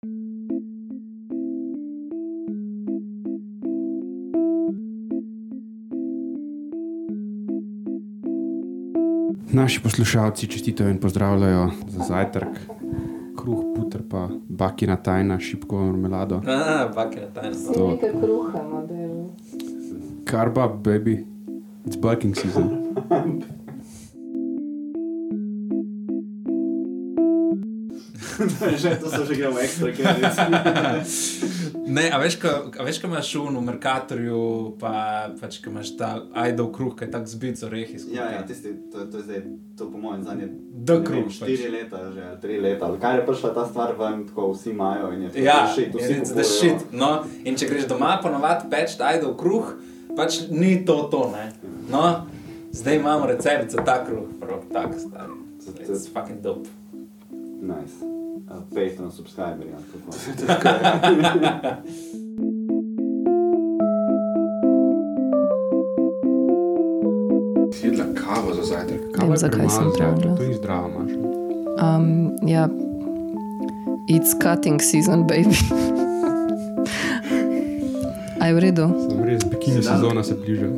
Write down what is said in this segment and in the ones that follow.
Naši poslušalci čestitajo in pozdravljajo za zajtrk. Kruh, puter pa bakina tajna, šipkovo marmelado. Bakina tajna. To je nekaj kruha, model. Carb up, baby. It's baking season. To so že gremo ekstra, Ne, a veš, ko imaš v Mercatorju, pač, ko imaš ta ajdov kruh, ki je tak zbit z orehi. Ja, tisti, to je zdaj, to po mojem zadnje, kruh, 4 leta že, 3 leta, ali kaj je prišla ta stvar ven, tako vsi imajo in je to shit, vsi kupujejo. No, in če greš doma ponovati peč ajdov kruh, pač ni to, ne. No, zdaj imamo recept za ta kruh, prav, tak stari. It's fucking dope. Nice. Patreon subscriber, ja. Si jedla kavo za zajtrk. Vem, zakaj sem pravila. To ni zdravo, Maša. Ja, it's cutting season, baby. A je v redu? Sem res, bikini sezona se bliža.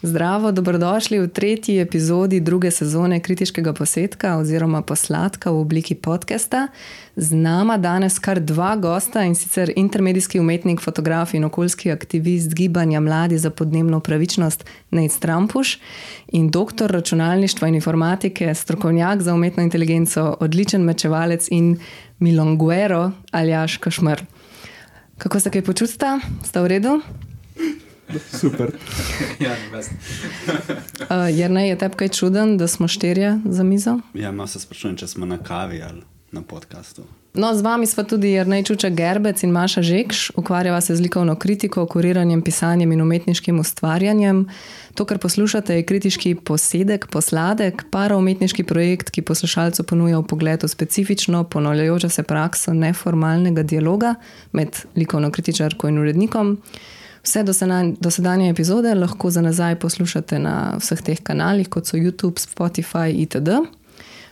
Zdravo, dobrodošli v 3. epizodi 2. sezone Kritiškega posetka oziroma Posladka v obliki podcasta. Z nama danes kar 2 gosta, in sicer intermedijski umetnik, fotograf in okoljski aktivist gibanja Mladi za podnebno pravičnost Nejc Trampuš in doktor računalništva in informatike, strokovnjak za umetno inteligenco, odličen mečevalec in milonguero Aljaž Kašmr. Kako se kaj počutite? Sta v redu? Super. Ja, best. Jernej, je tebi kaj čuden, da smo 4 za mizo? Ja, malo se sprašujem, če smo na kavi ali na podcastu. No, z vami sva tudi Jernej Čuček Gerbec in Maša Žekš. Ukvarjava se z likovno kritiko, kuriranjem, pisanjem in umetniškim ustvarjanjem. To, kar poslušate, je kritiški posedek, posladek, paraumetniški projekt, ki poslušalcu ponuja vpogled v specifično, ponavljajočo se prakso neformalnega dialoga med likovno kritičarko in urednikom. Vse dosedanje epizode lahko za nazaj poslušate na vseh teh kanalih, kot so YouTube, Spotify itd.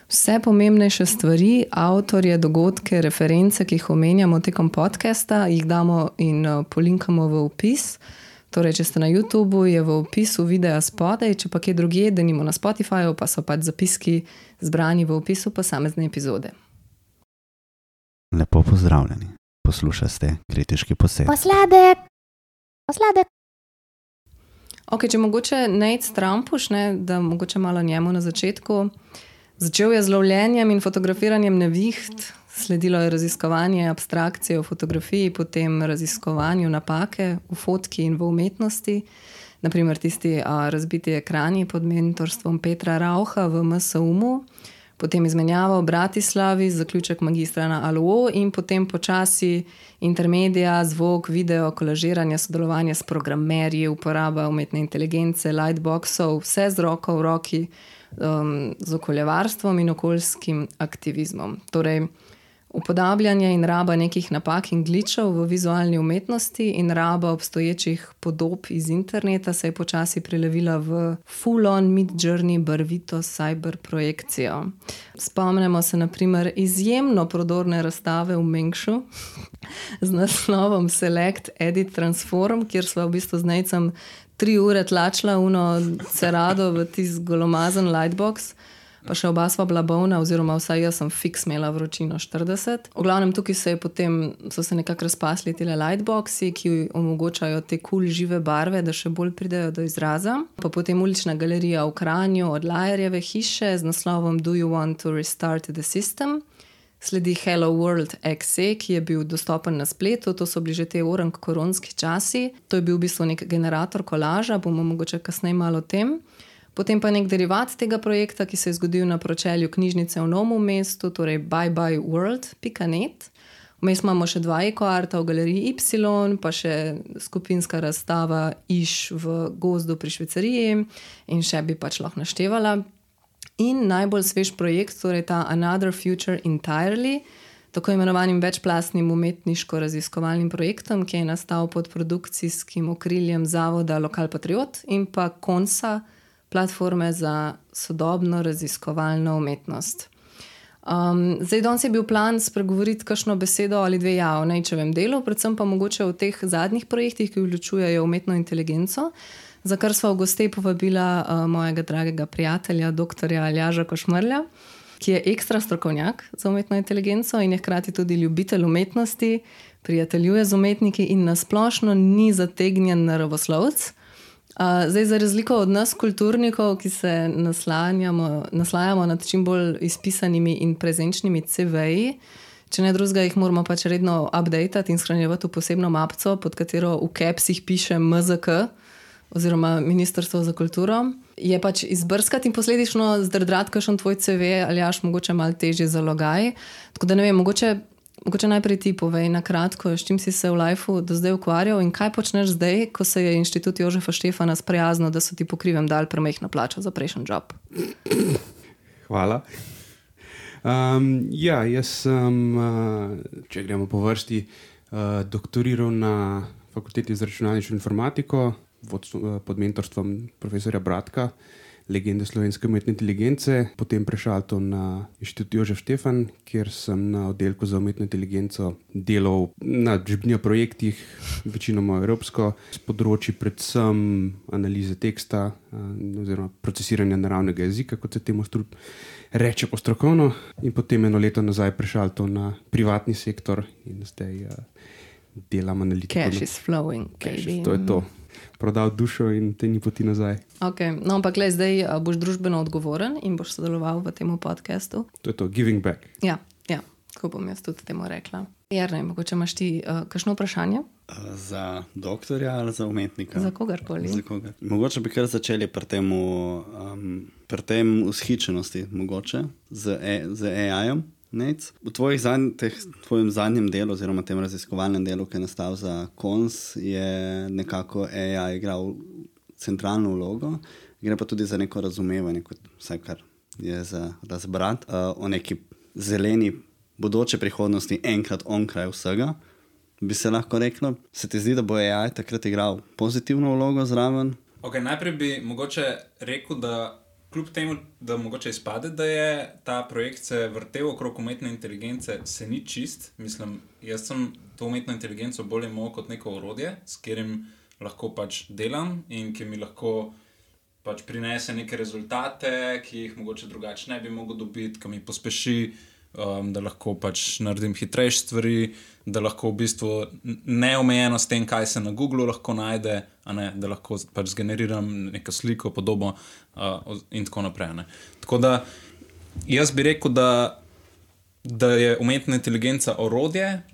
Vse pomembnejše stvari, avtorje, dogodke, reference, ki jih omenjamo tekom podcasta, jih damo in polinkamo v opis. Torej, če ste na YouTubeu, je v opisu videa spodaj, če pa kje drugje, denimo na Spotifyju, pa so pač zapiski zbrani v opisu posamezne epizode. Lepo pozdravljeni. Poslušate Kritiški posed. Posladek. Ok, če mogoče Nejc Trampuš, da mogoče malo njemu na začetku. Začel je z lovljenjem in fotografiranjem neviht, sledilo je raziskovanje abstrakcije v fotografiji, potem raziskovanju napake v fotki in v umetnosti. Naprimer tisti razbiti ekrani pod mentorstvom Petra Rauha v MSUM-u, potem izmenjava v Bratislavi, zaključek magistra na ALO in potem počasi intermedija, zvok, video, kolažiranje, sodelovanje s programerji, uporaba umetne inteligence, lightboxov, vse z roko v roki, z okoljevarstvom in okoljskim aktivizmom. Torej, upodabljanje in raba nekih napak in glitchov v vizualni umetnosti in raba obstoječih podob iz interneta se je počasi prelevila v full-on mid-journey barvito cyber projekcijo. Spomnimo se na primer izjemno prodorne razstave v Mengšu z naslovom Select, Edit, Transform, kjer sva v bistvu z Nejcem 3 ure tlačila cerado v tisti golomazan lightbox, pa še oba sva bila bolna, oziroma vsaj jaz sem fiks imela vročino 40. V glavnem tukaj so se nekako razpasli tile lightboxi, ki omogočajo te cool žive barve, da še bolj pridejo do izraza. Pa potem ulična galerija v Kranju od Lajerjeve hiše z naslovom Do you want to restart the system? Sledi Hello World XE, ki je bil dostopen na spletu, to so bili že te koronski časi. To je bil v bistvu nek generator kolaža, bomo mogoče kasneje malo o tem. Potem pa nek derivat tega projekta, ki se je zgodil na pročelju knjižnice v Novem mestu, torej byeByeWorld.net. Vmes imamo še 2 ekoarta v galeriji Y, pa še skupinska razstava Iš v gozdu pri Švicariji in še bi pač lahko naštevala. In najbolj svež projekt, torej ta Another Future Entirely, tako imenovanim večplastnim umetniško-raziskovalnim projektom, ki je nastal pod produkcijskim okriljem zavoda Lokal Patriot in pa Konsa, platforme za sodobno raziskovalno umetnost. Zdaj, danes je bil plan spregovoriti kakšno besedo ali dve o Nejčevem delu, predvsem pa mogoče o teh zadnjih projektih, ki vključujejo umetno inteligenco, za kar sva v goste povabila mojega dragega prijatelja, doktorja Aljaža Košmrlja, ki je ekstra strokovnjak za umetno inteligenco in je hkrati tudi ljubitelj umetnosti, prijateljuje z umetniki in nasplošno ni zategnjen naravoslovec. Zdaj, za razliko od nas, kulturnikov, ki se naslajamo nad čim bolj izpisanimi in prezenčnimi CV-ji, če ne drugega, jih moramo pač redno updatati in shranjevati v posebno mapco, pod katero v capsih piše MZK, oziroma Ministrstvo za kulturo, je pač izbrskati in posledično zdrdrati kakšen tvoj CV, Aljaž, mogoče malo težje zalogaj. Tako da ne vem, mogoče najprej ti povej na kratko, s čim si se v lifeu do zdaj ukvarjal in kaj počneš zdaj, ko se je Inštitut Jožefa Štefana sprijaznil, da so ti po krivem dali premehno plačo za prejšnji job. Hvala. Jaz sem, če gremo po vrsti, doktoriral na Fakulteti za računalniško informatiko pod mentorstvom profesorja Bratka, legende slovenske umetne inteligence, potem prešalto na Inštitut Jožef Štefan, kjer sem na oddelku za umetno inteligenco delal na projektih, večinoma evropsko, s področji predvsem analize teksta oziroma procesiranja naravnega jezika, kot se temu reče po strokovno, in potem eno leto nazaj prešalto na privatni sektor in zdaj delam analitiko. Cash is flowing, baby. To je to. Prodal dušo in te ni poti nazaj. Okay. No, ampak zdaj boš družbeno odgovoren in boš sodeloval v tem podcastu. To je to, giving back. Ja, tako bom jaz tudi temu rekla. Jernej, mogoče imaš ti kakšno vprašanje? Za doktorja ali za umetnika? Za kogarkoli. Mogoče bi kar začeli pri tem ushičenosti, mogoče, z AI-om. V tvojem zadnjem delu, oziroma tem raziskovalnem delu, ki je nastal za KONS, je nekako AI igral centralno vlogo. Gre pa tudi za neko razumevanje, vsaj kar je za razbrat, o neki zeleni bodoče prihodnosti enkrat onkraj vsega, bi se lahko reklo. Se ti zdi, da bo AI takrat igral pozitivno vlogo zraven? Najprej bi mogoče rekel, da kljub temu, da mogoče izpade, da je ta projekt se vrtel okrog umetne inteligence, se ni čist. Mislim, jaz sem to umetno inteligenco bolj imel kot neko orodje, s katerim lahko pač delam in ki mi lahko pač prinese neke rezultate, ki jih mogoče drugače ne bi mogel dobiti, ki mi pospeši, da lahko pač naredim hitrejše stvari, da lahko v bistvu neomejeno s tem, kaj se na Googlu lahko najde, da lahko pač zgeneriram neko sliko, podobo in tako naprej. Tako da jaz bi rekel, da je umetna inteligenca orodje,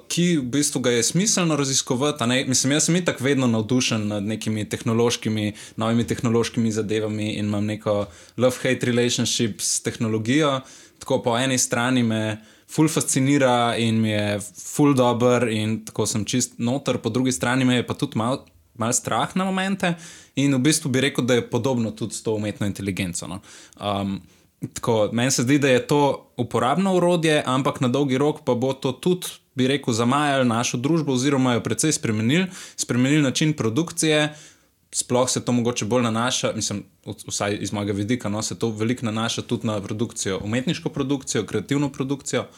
ki v bistvu ga je smiselno raziskovati. Mislim, jaz sem itak vedno navdušen nad nekimi novimi tehnološkimi zadevami in imam neko love-hate relationship s tehnologijo. Tako po eni strani me ful fascinira in mi je ful dober in tako sem čist noter, po drugi strani me je pa tudi mal strah na momente in v bistvu bi rekel, da je podobno tudi s to umetno inteligenco. No. Tako, meni se zdi, da je to uporabno orodje, ampak na dolgi rok pa bo to tudi, bi rekel, zamajalo našo družbo oziroma jo precej spremenili način produkcije. Sploh se to mogoče bolj nanaša, mislim, vsaj iz mojega vidika, se to veliko nanaša tudi na produkcijo, umetniško produkcijo, kreativno produkcijo.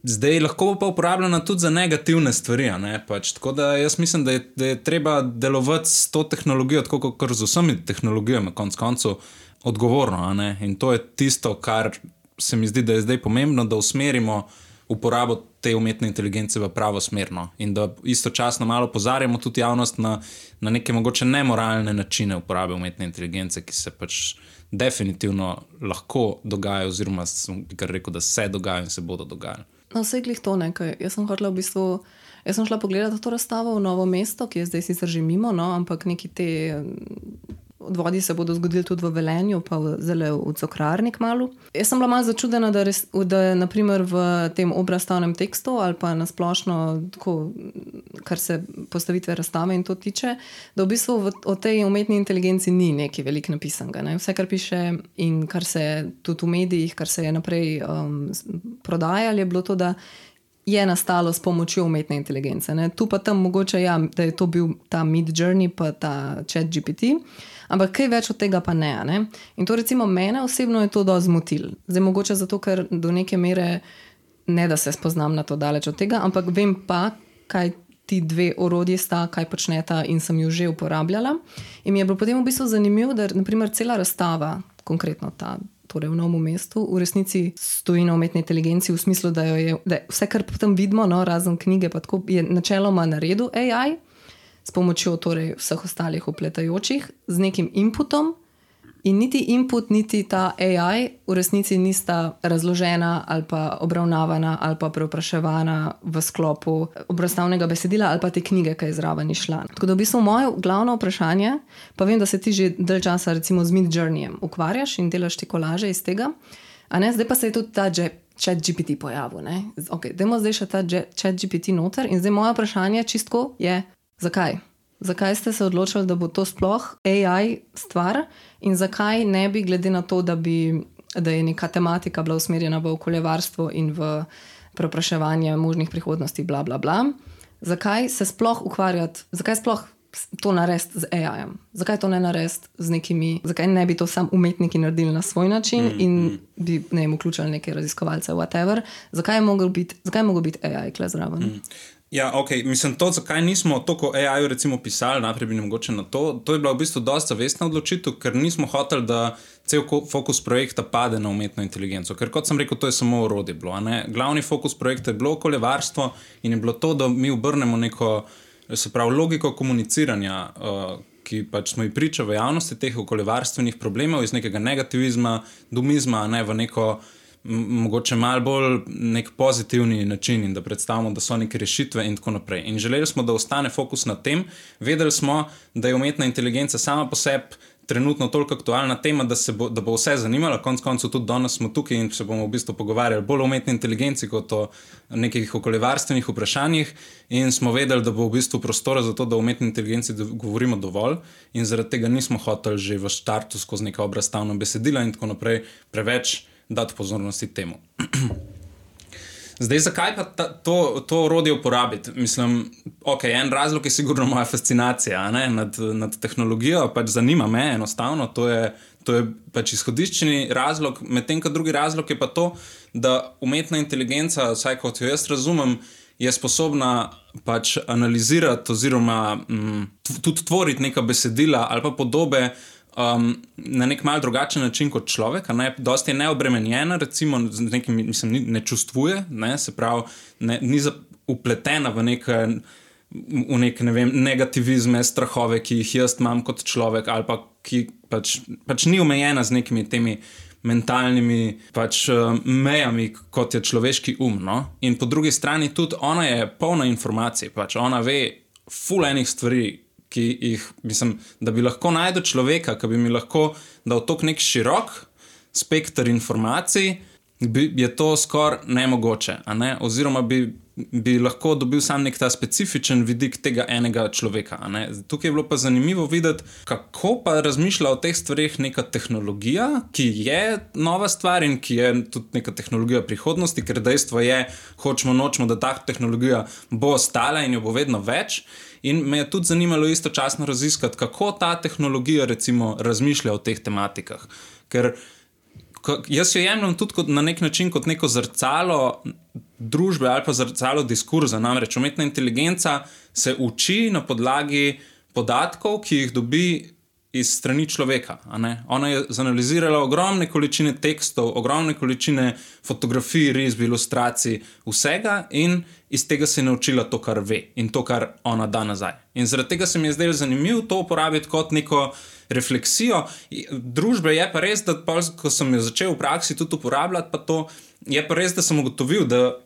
Zdaj lahko bo pa uporabljena tudi za negativne stvari, pač, tako da jaz mislim, da je treba delovati s to tehnologijo, tako kot z vsemi tehnologijami, konec koncev, odgovorno, in to je tisto, kar se mi zdi, da je zdaj pomembno, da usmerimo uporabo te umetne inteligence v pravo smerno in da istočasno malo opozarjamo tudi javnost na neke mogoče nemoralne načine uporabe umetne inteligence, ki se pač definitivno lahko dogajajo oziroma sem kar rekel, da se dogajajo in se bodo dogajali. No, vse glih to nekaj. Jaz sem šla pogledati to razstavo v Novo mesto, ki je zdaj sicer že mimo, ampak neki te odvodi se bodo zgodili tudi v Velenju, pa zelo v Cokrarni kmalu. Jaz sem bila malo začudena, da naprimer v tem obrazstavnem tekstu ali pa nasplošno, kar se postavitve razstave in to tiče, da v bistvu o tej umetni inteligenci ni nekaj veliko napisanega. Vse, kar piše in kar se tudi v medijih, kar se je naprej prodajalo, je bilo to, da je nastalo s pomočjo umetne inteligence. Ne? Tu pa tam mogoče, ja, da je to bil ta Midjourney pa ta ChatGPT, ampak kaj več od tega pa ne. In to recimo mene osebno je to dosti zmotil. Zdaj mogoče zato, ker do neke mere ne da se spoznam na to daleč od tega, ampak vem pa, kaj ti dve orodji sta, kaj počneta in sem jo že uporabljala. In mi je bilo potem v bistvu zanimivo, da naprimer cela razstava, konkretno ta, torej v Novem mestu, v resnici stoji na umetni inteligenci v smislu, da vse, kar potem vidimo, no, razen knjige, pa tako je načeloma naredil AI s pomočjo torej vseh ostalih upletajočih z nekim inputom in niti input, niti ta AI v resnici nista razložena ali pa obravnavana ali pa preopraševana v sklopu obrazstavnega besedila ali pa te knjige, ki je zraven išla. Tako da v bistvu moje glavno vprašanje, pa vem, da se ti že dalj časa recimo z Midjourneyjem ukvarjaš in delaš ti kolaže iz tega, a ne, zdaj pa se je tudi ta ChatGPT pojavil. Ok, dajmo zdaj še ta ChatGPT noter in zdaj moje vprašanje čistko je, zakaj? Zakaj ste se odločili, da bo to sploh AI stvar in zakaj ne bi, glede na to, da je neka tematika bila usmerjena v okoljevarstvo in v preopraševanje možnih prihodnosti, bla, bla, bla, zakaj se sploh ukvarjati, zakaj sploh to narediti z AI-jem? Zakaj to ne narediti z nekimi, zakaj ne bi to sam umetniki naredili na svoj način in bi, ne vem, vključili neke raziskovalce, whatever, zakaj je mogel biti AI kle zraven? Ja, ok, mislim to, zakaj nismo toliko AI-ju recimo pisali, najprej bi mogoče na to je bila v bistvu dosta zavestna odločitev, ker nismo hoteli, da cel fokus projekta pade na umetno inteligenco, ker kot sem rekel, to je samo orodje bilo, Glavni fokus projekta je bilo okoljevarstvo in je bilo to, da mi obrnemo neko, se pravi, logiko komuniciranja, ki pač smo ji priča v javnosti teh okoljevarstvenih problemov iz nekega negativizma, domizma, v neko mogoče malo bolj nek pozitivni način in da predstavimo, da so neke rešitve in tako naprej. In želeli smo, da ostane fokus na tem. Vedeli smo, da je umetna inteligenca sama po sebi trenutno toliko aktualna tema, da bo vse zanimala. Konec koncev tudi danes smo tukaj in se bomo v bistvu pogovarjali bolj o umetni inteligenci kot o nekih okoljevarstvenih vprašanjih in smo vedeli, da bo v bistvu prostora za to, da o umetni inteligenci govorimo dovolj in zaradi tega nismo hoteli že v štartu skozi neka obrazstavna besedila in tako naprej preveč dati pozornosti temu. Zdaj, zakaj pa to orodje uporabiti? Mislim, ok, en razlog je sigurno moja fascinacija nad tehnologijo, pač zanima me enostavno, to je pač izhodiščni razlog, medtem ko drugi razlog je pa to, da umetna inteligenca, vsaj kot jo jaz razumem, je sposobna pač analizirati oziroma tudi tvoriti neka besedila ali pa podobe na nek mal drugačen način kot človek, dosti je neobremenjena, recimo z nekim, mislim, ne čustvuje, se pravi, ni upletena v nek, ne vem, negativizme, strahove, ki jih jaz imam kot človek, ali pa ki pač ni omejena z nekimi temi mentalnimi pač mejami, kot je človeški no? In po drugi strani tudi ona je polna informacij, pač ona ve ful enih stvari, ki jih, mislim, da bi lahko najdel človeka, ki bi mi lahko dal tok nek širok spekter informacij, je to skoraj nemogoče, oziroma bi lahko dobil sam nek ta specifičen vidik tega enega človeka. Tukaj je bilo pa zanimivo videti, kako pa razmišlja o teh stvarih neka tehnologija, ki je nova stvar in ki je tudi neka tehnologija prihodnosti, ker dejstvo je, hočemo nočemo, da ta tehnologija bo ostala in jo bo vedno več. In me je tudi zanimalo istočasno raziskati, kako ta tehnologija recimo razmišlja o teh tematikah. Ker jaz jo jemljem tudi na nek način kot neko zrcalo družbe ali pa zrcalo diskurza. Namreč umetna inteligenca se uči na podlagi podatkov, ki jih dobi iz strani človeka. Ona je zanalizirala ogromne količine tekstov, ogromne količine fotografij, risb, ilustracij, vsega in iz tega se je naučila to, kar ve in to, kar ona da nazaj. In zaradi tega se mi je zdelo zanimivo to uporabiti kot neko refleksijo. Družbe je pa res, da ko sem jo začel v praksi tudi uporabljati, pa to je pa res, da sem ugotovil, da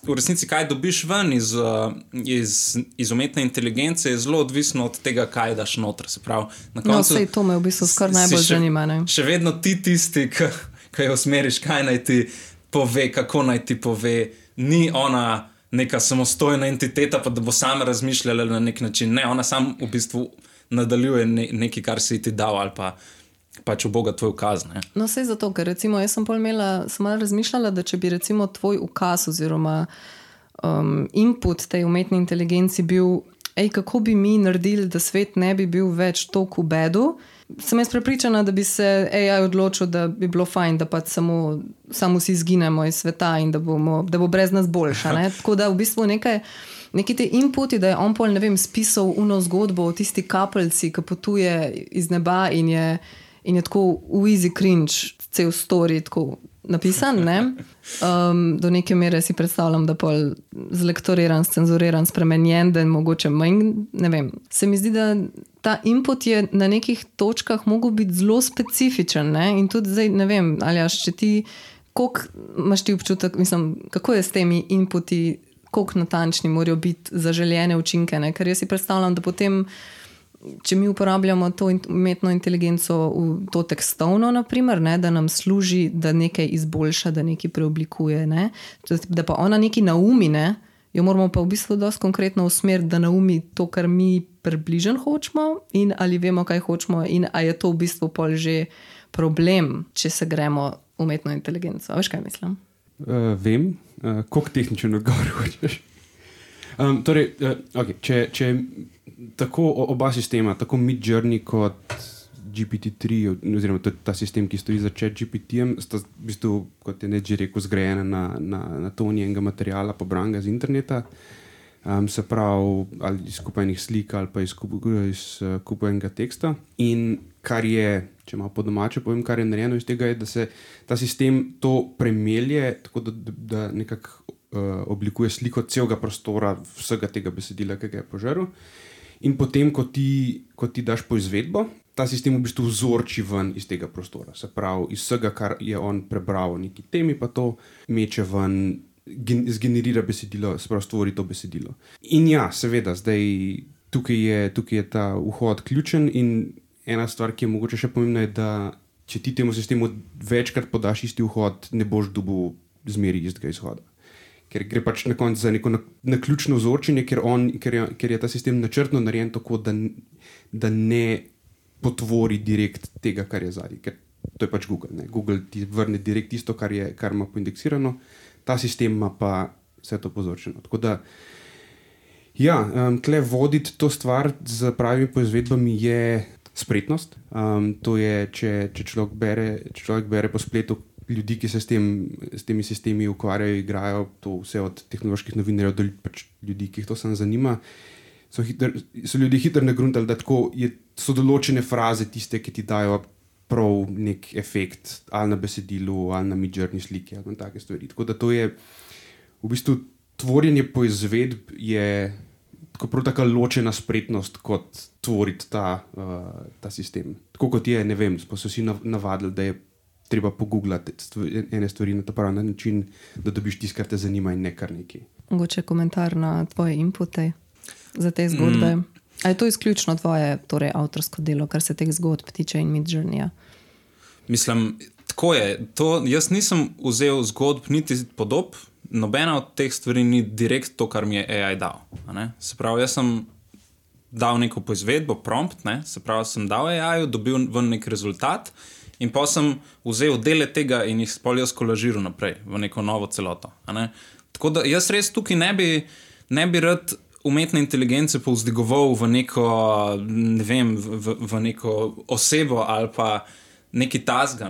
v resnici, kaj dobiš ven iz umetne inteligence, je zelo odvisno od tega, kaj daš noter. Se pravi, na koncu, sej to me v bistvu skoraj najbolj zanima. Še vedno ti tisti, ki jo usmeriš, kaj naj ti pove, kako naj ti pove. Ni ona neka samostojna entiteta, pa da bo sama razmišljala na nek način. Ne, ona sam v bistvu nadaljuje nekaj, kar si ti dal ali pa pač v Boga tvoj ukaz. No, sej zato, ker recimo jaz sem malo razmišljala, da če bi recimo tvoj ukaz oziroma input tej umetni inteligenci bil, kako bi mi naredili, da svet ne bi bil več toliko v bedu. Sem jaz prepričana, da bi se AI odločil, da bi bilo fajn, da pač samo vsi izginemo iz sveta in da bo brez nas boljša. Ne? Tako da v bistvu neki te inputi, da je on pol, ne vem, spisal uno zgodbo o tisti kapljici, ki potuje iz neba in je tako v easy cringe cel story tako napisan, ne? Do neke mere si predstavljam, da pol zlektoriran, scenzuriran, spremenjen, da je mogoče manj, ne vem. Se mi zdi, da ta input je na nekih točkah mogel biti zelo specifičen, ne? In tudi zdaj, ne vem, Aljaž, če ti, koliko imaš ti občutek, mislim, kako je s temi inputi, koliko natančni morajo biti zaželjene učinke, ne? Ker jaz si predstavljam, da potem če mi uporabljamo to umetno inteligenco v to tekstovno, naprimer, ne, da nam služi, da nekaj izboljša, da nekaj preoblikuje, ne, da pa ona nekaj naumi, ne, jo moramo pa v bistvu dosti konkretno usmeriti, da naumi to, kar mi približno hočemo in ali vemo, kaj hočemo in a je to v bistvu pol že problem, če se gremo umetno inteligenco. A veš, kaj mislim? Vem, koliko tehničen odgovor hočeš. Torej, če tako oba sistema, tako Midjourney kot GPT-3, oziroma ta sistem, ki stoji za ChatGPT-jem, sta v bistvu, kot je Ned že rekel, zgrajena na toni enega materiala, pobranega z interneta, se pravi, ali iz kupenih slik ali pa iz kupenega teksta. In kar je, če malo po domače povem, kar je narejeno iz tega, je, da se ta sistem to premelje, tako da nekako oblikuje sliko celega prostora, vsega tega besedila, ki ga je požaril. In potem, ko ti daš poizvedbo, ta sistem v bistvu vzorči ven iz tega prostora. Se pravi, iz vsega, kar je on prebral o neki temi, pa to meče ven, zgenerira besedilo, se pravi, stvori to besedilo. In ja, seveda, zdaj tukaj je ta vhod ključen in ena stvar, ki je mogoče še pomembna, je, da če ti temu sistemu večkrat podaš isti vhod, ne boš dobil zmeri istega izhoda. Ker gre pač na koncu za neko naključno vzorčenje, ker je ta sistem načrtno narejen tako, da ne potvori direkt tega, kar je zadaj. Ker to je pač Google. Ne? Google ti vrne direkt tisto, kar ima poindeksirano, ta sistem ima pa vse to pozorčeno. Tako da, ja, tle voditi to stvar z pravimi poizvedbami je spretnost. To je, če človek bere po spletu ljudi, ki se s temi sistemi ukvarjajo, igrajo, to vse od tehnoloških novinarjev do pač ljudi, ki jih to samo zanima, so ljudje hitro nagruntali, da tako so določene fraze tiste, ki ti dajo prav nek efekt, ali na besedilu, ali na Midjourney sliki, ali na take stvari. Tako da to je, v bistvu, tvorjenje poizvedb je tako ločena spretnost, kot tvoriti ta sistem. Tako kot je, ne vem, smo se vsi navadili, da je treba pogooglati ene stvari na ta pravi način, da dobiš tisto, kar te zanima in ne kar nekaj. Mogoče komentar na tvoje inpute za te zgodbe. A je to izključno tvoje, torej avtorsko delo, kar se teh zgodb tiče in Midjourneyja? Mislim, tako je. Jaz nisem vzel zgodb niti podob, nobena od teh stvari ni direkt to, kar mi je AI dal. Se pravi, jaz sem dal neko poizvedbo, prompt, ne? Se pravi, sem dal AI-ju, dobil ven nek rezultat, in pa sem vzel dele tega in jih jaz kolažiral naprej v neko novo celoto. Tako da jaz res tukaj ne bi rad umetne inteligence povzdigoval v neko, ne vem, v neko osebo ali pa neki tasga.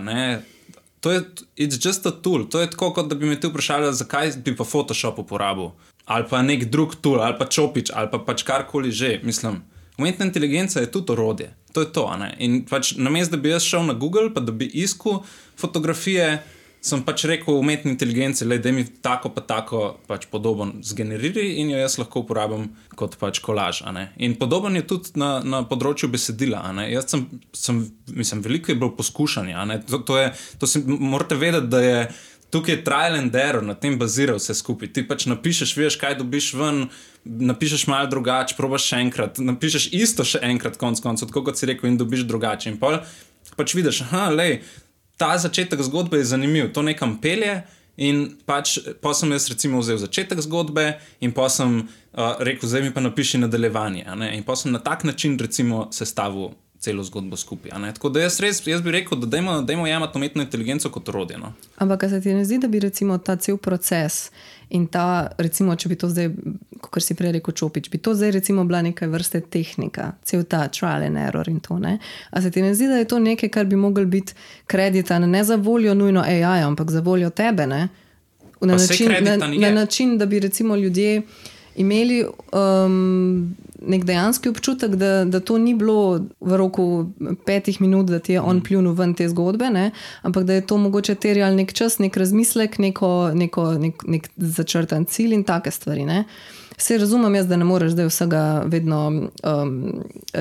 To je, it's just a tool. To je tako, kot da bi me ti vprašali, zakaj bi pa Photoshop uporabil. Ali pa nek drug tool, ali pa Chopič, ali pa pač karkoli že. Mislim, umetna inteligenca je tudi orodje. To je to, ne? In pač namesto, da bi jaz šel na Google, pa da bi iskal fotografije, sem pač rekel umetni inteligenci, da mi tako pa tako pač podoben zgeneriri in jo jaz lahko uporabim kot pač kolaž. In podoben je tudi na področju besedila. Jaz mislim, veliko je bilo poskušanja. Morate vedeti, da je tukaj trial and error, na tem bazira vse skupaj. Ti pač napišeš, veš, kaj dobiš ven, napišeš malo drugače, probaš še enkrat, napišeš isto še enkrat konc koncev, tako kot si rekel, in dobiš drugače. In pač vidiš, ta začetek zgodbe je zanimiv, to nekam pelje in pač pa sem jaz recimo vzel začetek zgodbe in pa sem rekel, zdaj mi pa napiši nadaljevanje. In pa sem na tak način recimo sestavil celo zgodbo skupaj. Tako da jaz bi rekel, da dajmo jemati umetno inteligenco kot orodje. No. Ampak se ti ne zdi, da bi recimo ta cel proces in ta, recimo, če bi to zdaj, kot si prej rekel Čopič, bi to zdaj recimo bila neka vrste tehnika, cel ta trial and error in to, ne? A se ti ne zdi, da je to nekaj, kar bi mogel biti kreditan ne za voljo nujno AI, ampak za voljo tebe, ne? Na način, da bi recimo ljudje imeli nek dejanski občutek, da to ni bilo v roku 5 minut, da ti je on pljunil ven te zgodbe, ne? Ampak da je to mogoče terjal nek čas, nek razmislek, nek začrtan cilj in take stvari. Ne? Vse razumem jaz, da ne moreš zdaj vsega vedno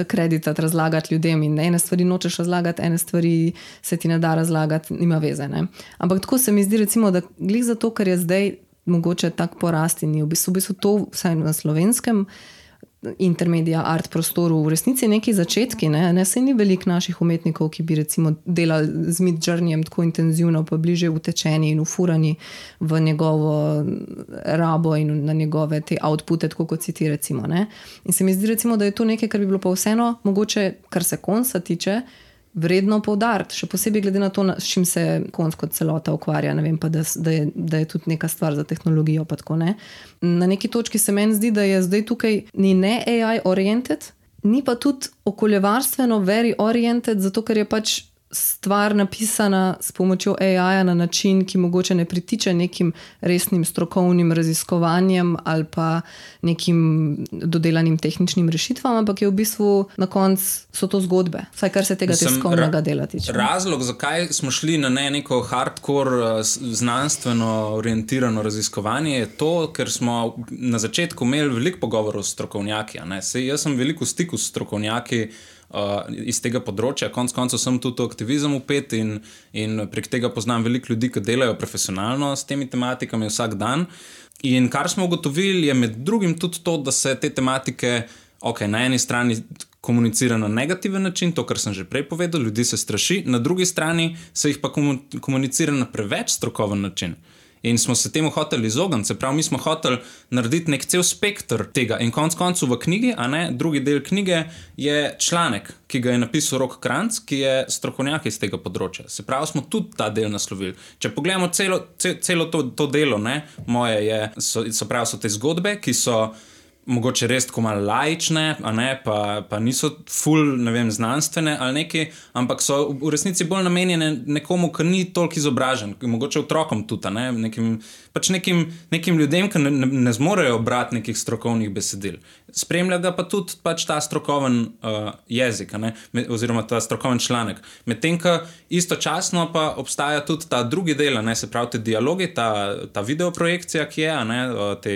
kreditati, razlagati ljudem in ene stvari nočeš razlagati, ene stvari se ti ne da razlagati, nima veze. Ne? Ampak tako se mi zdi recimo, da glih zato, ker je zdaj mogoče tak porast in v bistvu to vsaj na slovenskem intermedia art prostoru v resnici neki začetki, ne se ni veliko naših umetnikov, ki bi recimo delali z Midjourneyjem tako intenzivno, pa bliže utečeni in ufurani v njegovo rabo in na njegove te outpute, tako kot si ti recimo. Ne? In se mi zdi recimo, da je to nekaj, kar bi bilo pa vseeno mogoče, kar se konca tiče, vredno poudariti, še posebej glede na to, s čim se konc kot celota ukvarja, ne vem pa, da je tudi neka stvar za tehnologijo pa tako, ne. Na neki točki se meni zdi, da je zdaj tukaj ni ne AI oriented, ni pa tudi okoljevarstveno very oriented, zato ker je pač stvar napisana s pomočjo AI-ja na način, ki mogoče ne pritiče nekim resnim strokovnim raziskovanjem ali pa nekim dodelanim tehničnim rešitvam, ampak je v bistvu na koncu so to zgodbe, vsaj kar se tega tiskovnega dela tiče. Razlog, zakaj smo šli na neko hardcore znanstveno orientirano raziskovanje je to, ker smo na začetku imeli veliko pogovorov s strokovnjaki. Jaz sem veliko v stiku s strokovnjaki iz tega področja, konc koncev sem tudi aktivizem upet in prek tega poznam veliko ljudi, ki delajo profesionalno s temi tematikami vsak dan. In kar smo ugotovili je med drugim tudi to, da se te tematike na eni strani komunicira na negativen način, to, kar sem že prej povedal, ljudi se straši, na drugi strani se jih pa komunicira na preveč strokoven način. In smo se temu hoteli izogniti, se pravi, mi smo hoteli narediti nek cel spektr tega. In konc koncu v knjigi, drugi del knjige je članek, ki ga je napisal Rok Kranc, ki je strokovnjak iz tega področja. Se pravi, smo tudi ta del naslovili. Če pogledamo celo to delo, moje so te zgodbe, ki so mogoče res tako malo laične, pa niso ful, ne vem, znanstvene ali neki, ampak so v resnici bolj namenjene nekomu, ki ni toliko izobražen, mogoče otrokom tudi, nekim ljudem, ki ne zmorejo brati nekih strokovnih besedil. Spremlja ga pa tudi ta strokoven jezik, oziroma ta strokoven članek. Medtem, ko istočasno pa obstaja tudi ta drugi del, se pravi te dialogi, ta videoprojekcija, ki je, te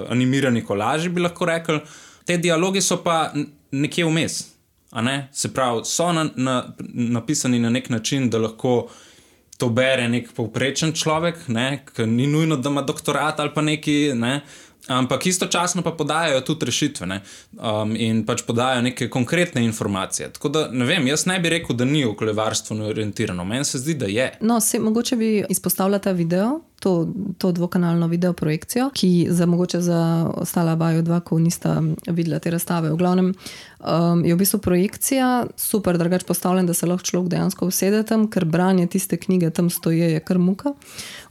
animirani kolaži bi lahko rekli. Te dialogi so pa nekje vmes, se pravi, so napisani na nek način, da lahko to bere nek povprečen človek, ki ni nujno, da ima doktorat ali pa neki, ampak istočasno pa podajajo tudi rešitve, in pač podajajo neke konkretne informacije. Tako da, ne vem, jaz ne bi rekel, da ni okoljevarstveno orientirano. Meni se zdi, da je. No, mogoče bi izpostavila ta video, to dvokanalno videoprojekcijo, ki mogoče za ostala vaju dva, ko nista videla te razstave. V glavnem je v bistvu projekcija super drugače postavljen, da se lahko človek dejansko usede tam, ker branje tiste knjige tam stoje je kar muka.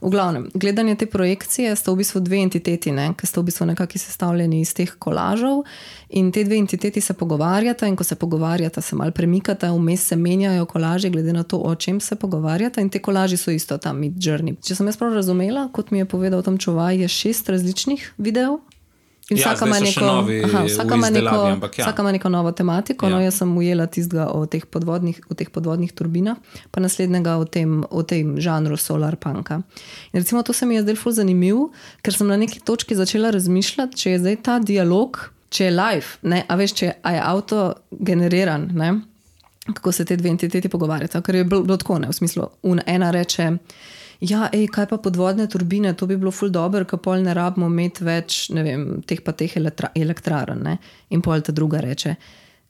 V glavnem, gledanje te projekcije sta v bistvu dve entiteti, ki sta v bistvu nekako sestavljeni iz teh kolažov in te dve entiteti se pogovarjata in ko se pogovarjata, se malo premikata, vmes se menjajo kolaži glede na to, o čem se pogovarjata in te kolaži so isto tam Midjourney. Če sem jaz prav razumela, kot mi je povedal tam čuvaj, je 6 različnih videov. In vsaka ima neko novo tematiko. No, jaz sem ujela tistega o teh podvodnih turbinah, pa naslednjega o tem žanru solar punka. In recimo to se mi je zdaj ful zanimiv, ker sem na neki točki začela razmišljati, če je zdaj ta dialog, če je live, a veš, če je auto-generiran, kako se te dve entiteti pogovarjata, ker je bilo tako, v smislu, ena reče, ja, kaj pa podvodne turbine, to bi bilo ful dobro, ker pol ne rabimo imeti več, ne vem, teh elektrarn, In pol ta druga reče,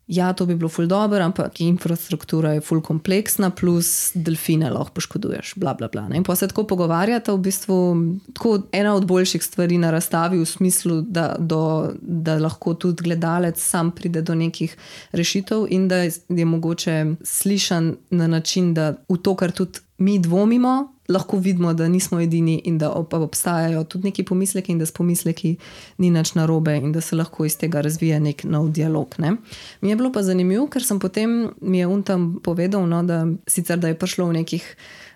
ja, to bi bilo ful dobro, ampak infrastruktura je ful kompleksna, plus delfine lahko poškoduješ, bla, bla, bla. Ne? In pa se tako pogovarjata, v bistvu tako ena od boljših stvari na razstavi v smislu, da lahko tudi gledalec sam pride do nekih rešitev in da je mogoče slišan na način, da v to, kar tudi mi dvomimo, lahko vidimo, da nismo edini in da obstajajo tudi neki pomisleki in da s pomisleki ni nič narobe in da se lahko iz tega razvija nek nov dialog. Ne? Mi je bilo pa zanimivo, ker sem potem, mi je tam povedal, no, da sicer da je prišlo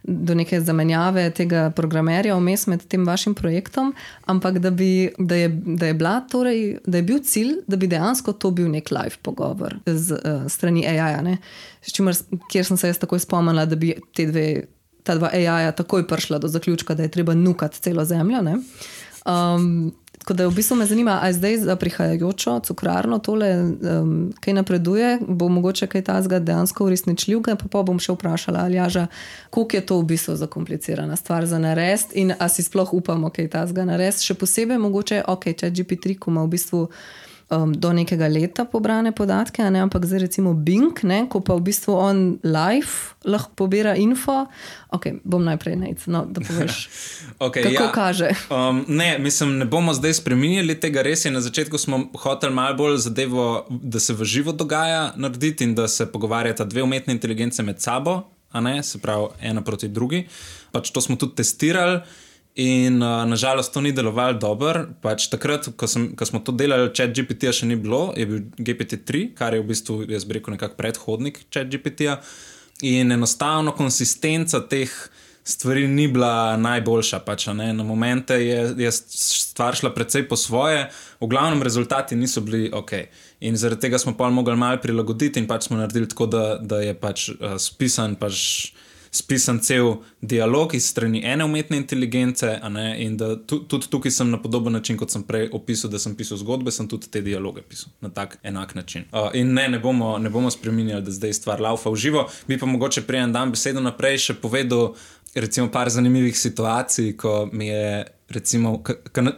do neke zamenjave tega programerja vmes med tem vašim projektom, ampak da je bil cilj, da bi dejansko to bil nek live pogovor z strani AI-ja, ne? Kjer sem se jaz takoj spomnila, da bi ta dva AI-ja takoj prišla do zaključka, da je treba nukati celo zemljo. Ne? Tako da v bistvu me zanima, a zdaj za prihajajočo cukrarno tole, kaj napreduje, bo mogoče kaj tazga dejansko uresničljivega, pa bom še vprašala Aljaža, koliko je to v bistvu zakomplicirana stvar za narediti in a si sploh upamo kaj tazga narediti. Še posebej mogoče, ChatGPT, ko ima v bistvu do nekega leta pobrane podatke, ne? Ampak zdaj recimo Bing, ne? Ko pa v bistvu on live lahko pobira info. Bom najprej da poveš, kako kaže. Ne bomo zdaj spreminjali tega, res je, na začetku smo hoteli malo bolj zadevo, da se v živo dogaja narediti in da se pogovarjata dve umetne inteligence med sabo, a ne, se pravi ena proti drugi. Pač to smo tudi testirali. In nažalost to ni delovalo dobro. Pač takrat, ko smo to delali, ChatGPT-ja še ni bilo, je bil GPT-3, kar je v bistvu, jaz bi rekel, nekak predhodnik ChatGPT-ja. In enostavno konsistenca teh stvari ni bila najboljša. Pač, ne? Na momente je stvar šla precej po svoje, v glavnem rezultati niso bili ok. In zaradi tega smo pa mogli malo prilagoditi in pač smo naredili tako, da je pač spisan cel dialog iz strani ene umetne inteligence, a ne, in da tudi tukaj sem na podoben način, kot sem prej opisal, da sem pisal zgodbe, sem tudi te dialoge pisal na tak enak način. In ne bomo spreminjali, da zdaj stvar laufa v živo. Bi pa mogoče prej en dan besedo naprej še povedal recimo par zanimivih situacij, ko mi je recimo,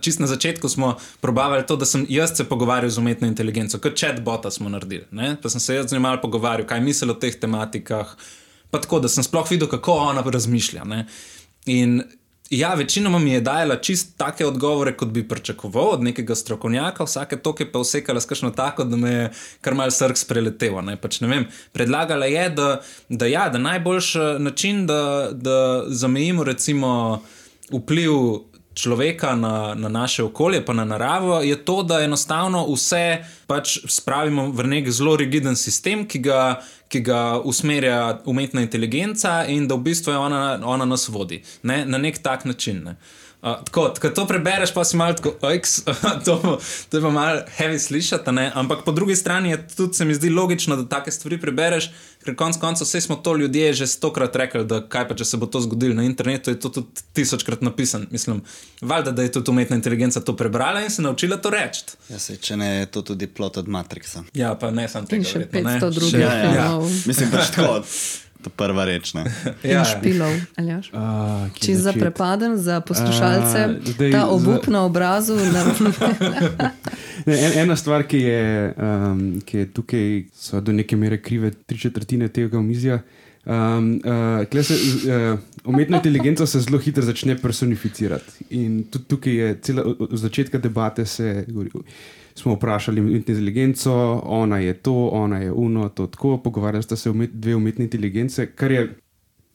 čist na začetku smo probavali to, da sem jaz se pogovarjal z umetno inteligenco, kot chatbota smo naredili, ne? Pa sem se jaz z njim malo pogovarjal, kaj misel o teh tematikah, pa tako, da sem sploh videl, kako ona razmišlja. Ne? In ja, večinoma mi je dajala čist take odgovore, kot bi pričakoval od nekega strokovnjaka, vsake toke pa vsekala s kakšno tako, da me je kar malo srk spreletevo. Pač ne vem, predlagala je, da najboljši način, da zamejimo recimo vpliv človeka na naše okolje, pa na naravo, je to, da enostavno vse pač spravimo v nek zelo rigiden sistem, ki ga usmerja umetna inteligenca in da v bistvu je ona nas vodi. Ne? Na nek tak način. Ne? Tako, ko to prebereš, pa si malo tako, to je pa malo heavy slišati, ne? Ampak po drugi strani je tudi, se mi zdi logično, da take stvari prebereš, ker konc koncev vse smo to ljudje že 100-krat rekli, da kaj pa, če se bo to zgodilo na internetu, je to tudi 1000-krat napisan. Mislim, valjda, da je tudi umetna inteligenca to prebrala in se naučila to reči. Ja, če ne, je to tudi plot od Matrixa. Ja, pa ne sam tega. In še 500 drugih. Ja. Mislim, pač tako. To prva reč, ne? In špilov, Aljaž. Čisto zaprepaden za poslušalce, ta obup na obrazu. Ena stvar, ki je tukaj, so do neke mere krive 3/4 tega omizja. Umetna inteligenca se zelo hitro začne personificirati. In tudi tukaj je od začetka debate smo vprašali umetno inteligenco, ona je to, ona je uno, to tako, pogovarjali sta se dve umetne inteligence,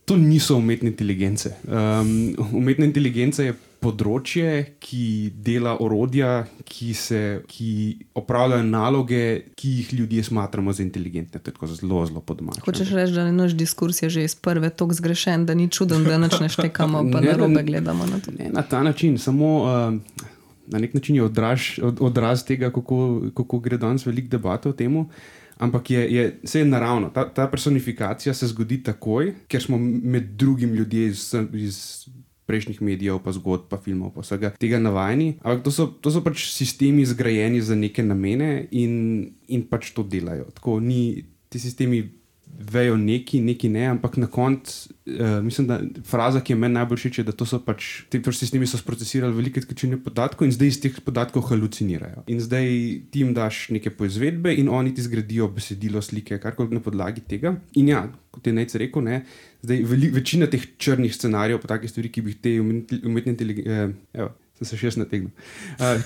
to niso umetne inteligence. Umetna inteligenca je področje, ki dela orodja, ki opravljajo naloge, ki jih ljudje smatramo za inteligentne. To je tako zelo, zelo podomače. Hočeš reči, da naš diskurs je že iz prve toliko zgrešen, da ni čuden, da nič ne štekamo, pa narobe gledamo na to. Ne, na ta način, samo na nek način je odraz tega, kako gre danes veliko debate o temu, ampak vse je naravno. Ta personifikacija se zgodi takoj, ker smo med drugim ljudje iz prejšnjih medijev, pa zgodb, pa filmov, pa vsega tega navajeni. Ampak to so pač sistemi zgrajeni za neke namene in pač to delajo. Tako ti sistemi vejo neki ne, ampak na koncu mislim, da fraza, ki je meni najbolj všeč, je, da to so pač, ti sistemi so sprocesirali velike količine podatkov in zdaj iz teh podatkov halucinirajo. In zdaj ti jim daš neke poizvedbe in oni ti zgradijo besedilo, slike, karkoli na podlagi tega. In ja, kot je Nejc rekel, ne, zdaj večina teh črnih scenarijev, pa take stvari, ki bi te umetne inteligence, sem se še jaz nategnil,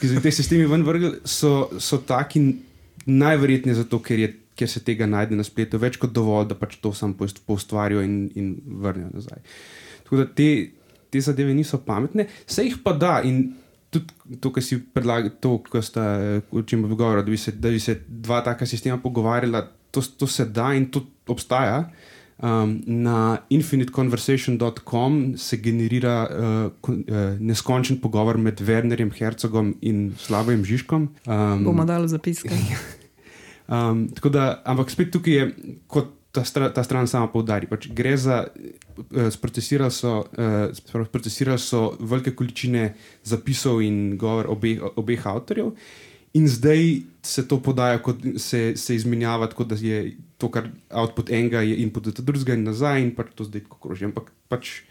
ki so te sistemi ven vrgli, so taki najverjetneje zato, ker se tega najde na spletu, več kot dovolj, da pač to sam poustvarijo in vrnejo nazaj. Tako da te zadeve niso pametne, se jih pa da in tudi to, kar si predlagal, to, kar sta, o čem bi govorila, da bi se dva taka sistema pogovarjala, to se da in to obstaja. Na infiniteconversation.com se generira neskončen pogovor med Wernerjem Herzogom in Slavojem Žižkom. Bomo dali zapiske. Tako da, ampak spet tukaj je, kot ta stran sama poudari, pač gre za, sprocesirali so velike količine zapisov in govor obeh avtorjev in zdaj se to podaja, kot se izmenjava, tako da je to, kar output enega je input od drugega in nazaj in pač to zdaj tako kroži, ampak pač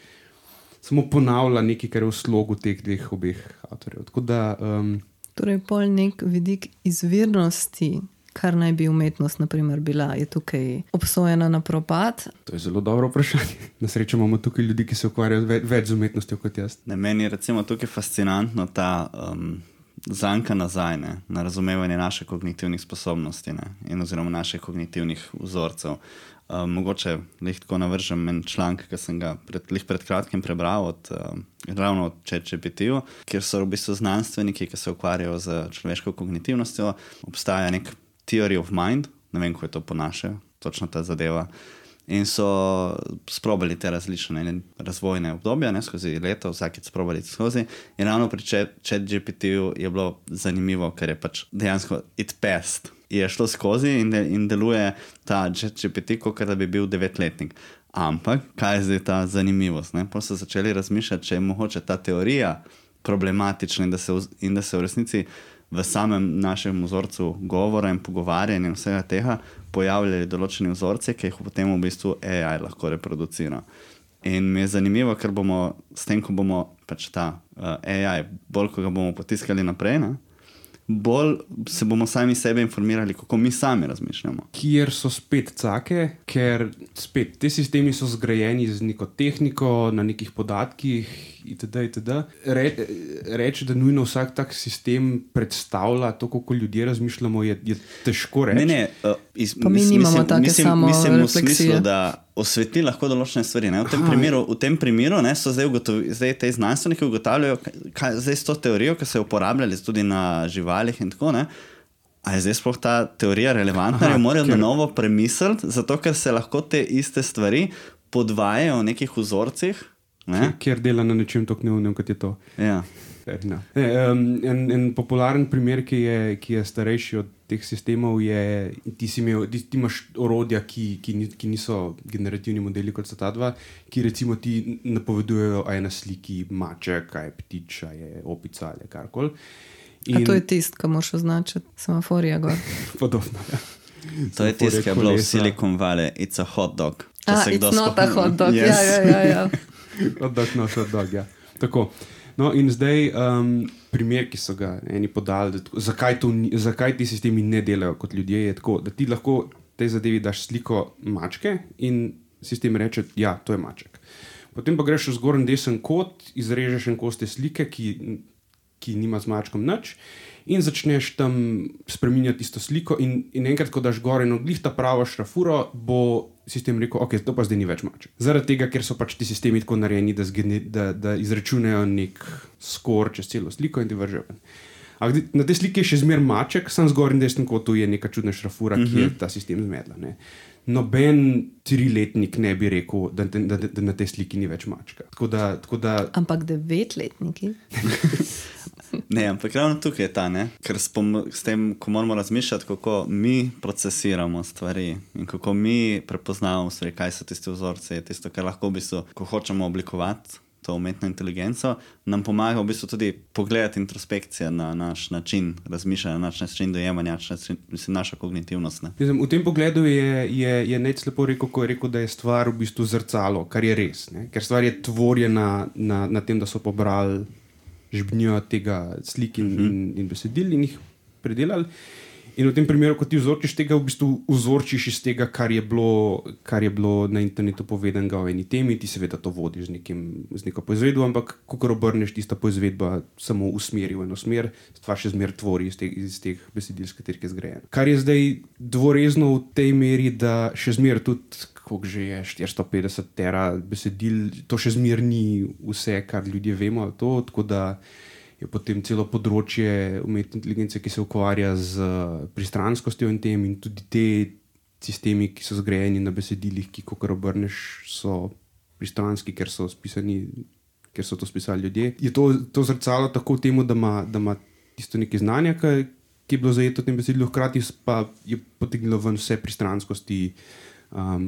samo ponavlja nekaj, kar je v slogu teh dveh obeh avtorjev. Tako da... Torej, pol nek vidik izvirnosti, kar naj bi umetnost, na primer, bila, je tukaj obsojena na propad? To je zelo dobro vprašanje. Na srečo imamo tukaj ljudi, ki se ukvarjajo več z umetnostjo kot jaz. Meni je recimo tukaj fascinantno ta zanka nazaj, na razumevanje naše kognitivnih sposobnosti in oziroma naših kognitivnih vzorcev. Mogoče tako navržem en članek, ki sem ga pred kratkim prebral ravno od ChatGPT-ju, kjer so v bistvu znanstveniki, ki se ukvarjajo z človeško kognitivnostjo. Obstaja nek theory of mind, ne vem, ko je to po naše, točno ta zadeva. In so sprobali te različne razvojne obdobja, skozi leto, vsakeč sprobali skozi. In ravno pri ChatGPT-ju je bilo zanimivo, ker je pač dejansko it passed. Je šlo skozi in deluje ta ChatGPT, kot da bi bil 9-letnik. Ampak, kaj je zdaj ta zanimivost? Pa so začeli razmišljati, če je mogoče ta teorija problematična in da se v resnici v samem našem vzorcu govora in pogovarjanja in vsega tega pojavljali določeni vzorci, ki jih potem v bistvu AI lahko reproducira. In mi je zanimivo, ker bomo s tem, ko bomo pač ta AI, bolj ko ga bomo potiskali naprej, bolj se bomo sami sebe informirali, kako mi sami razmišljamo. Kjer so spet cake, ker spet te sistemi so zgrajeni z neko tehniko, na nekih podatkih itd. Reči, da nujno vsak tak sistem predstavlja to, kako ljudje razmišljamo, je težko reči. Pa mi nimamo take samo refleksije. Mislim v smislu, da osvetli lahko določene stvari. V tem primeru so zdaj te znanstveniki ugotavljajo, kaj zdaj s to teorijo, ki so jo uporabljali tudi na živalih in tako, a je zdaj sploh ta teorija relevantna, jo morajo na novo premisliti, zato ker se lahko te iste stvari podvajajo v nekih vzorcih. Kjer dela na nečem tako neumnem, kot je to. Ja. En popularen primer, ki je starejši od teh sistemov, je, ti imaš orodja, ki niso generativni modeli, kot so ta dva, ki recimo ti napovedujejo, a je na sliki maček, a je ptič, a je opica ali karkoli. A to je tist, ki moraš označiti semaforija gor. Podobno, ja. To je tist, ki je bilo v Silicon Valley, it's a hot dog. It's not a hot dog, ja. Hot dog, ja. Tako. No, in zdaj primer, ki so ga eni podali, zakaj ti sistemi ne delajo kot ljudje, je tako, da ti lahko tej zadevi daš sliko mačke in sistem reče, ja, to je maček. Potem pa greš v zgornji desen kot, izrežeš en kos te slike, ki nima z mačkom nič in začneš tam spreminjati isto sliko in enkrat, ko daš gor eno glih ta pravo šrafuro, bo sistem rekel, ok, to pa zdaj ni več maček. Zaradi tega, ker so pač ti sistemi tako narejeni, da izračunajo nek skor čez celo sliko in ti vržejo. Na tej sliki je še zmer maček, sam zgornji desni kotu je neka čudna šrafura, ki je ta sistem zmedla. Noben 3-letnik ne bi rekel, da na tej sliki ni več mačka. Tako da... Ampak 9-letniki? Ne, ampak ravno tukaj je ta, ker s tem, ko moramo razmišljati, kako mi procesiramo stvari in kako mi prepoznavamo stvari, kaj so tisti vzorci, tisto, kar lahko v bistvu, ko hočemo oblikovati to umetno inteligenco, nam pomaga v bistvu tudi pogledati introspekcijo na naš način razmišljanja, na naš način dojemanja, naša kognitivnost. Ne? V tem pogledu je Nec lepo rekel, ko je rekel, da je stvar v bistvu zrcalo, kar je res. Ne? Ker stvar je tvorjena na tem, da so pobrali žbnjo tega slik in besedil in jih predelali. In v tem primeru, ko ti vzorčiš tega, v bistvu vzorčiš iz tega, kar je bilo na internetu povedanega o eni temi, ti seveda to vodiš z neko poizvedbo, ampak kakor obrneš, tista poizvedba samo usmeri v eno smer, stvar še zmer tvori iz teh besedil, s katerih je zgrajena. Kar je zdaj dvorezno v tej meri, da še zmer tudi, koliko že je 450 tera besedil, to še zmer ni vse, kar ljudje vemo, tako da je potem celo področje umetne inteligence, ki se ukvarja z pristranskostjo in tem, in tudi te sistemi, ki so zgrajeni na besedilih, ki, kakor obrneš, so pristranski, ker so to spisali ljudje. Je to zrcalo tako temu, da ima tisto nekaj znanja, ki je bilo zajeto v tem besedilu, hkrati pa je potegnilo ven vse pristranskosti,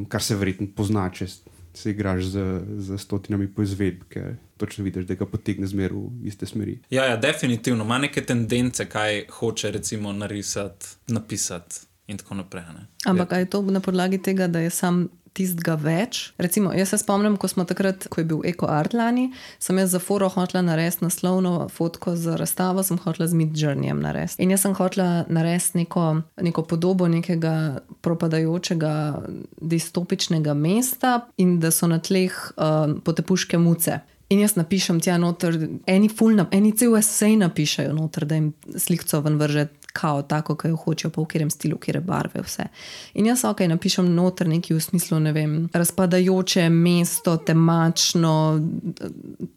kar se verjetno pozna, če se igraš z stotinami poizvedb, ker točno vidiš, da ga potegne zmer v iste smeri. Ja, definitivno. Ima neke tendence, kaj hoče recimo narisati, napisati in tako naprej. Ne? Ampak je to na podlagi tega, da je sam tistega več? Recimo, jaz se spomnim, ko je bil Eko Art lani, sem jaz za foro hotela narediti naslovno fotko za razstavo, sem hotela z Midjourneyjem narediti. In jaz sem hotela narediti neko podobo nekega propadajočega distopičnega mesta in da so na tleh potepuške muce. In jaz napišem tja noter, eni cel esej napišejo noter, da jim slikco ven vrže kao tako, ki jo hočejo, pa v katerem stilu, kjer barve, vse. In jaz napišem noter nekaj v smislu, ne vem, razpadajoče mesto, temačno,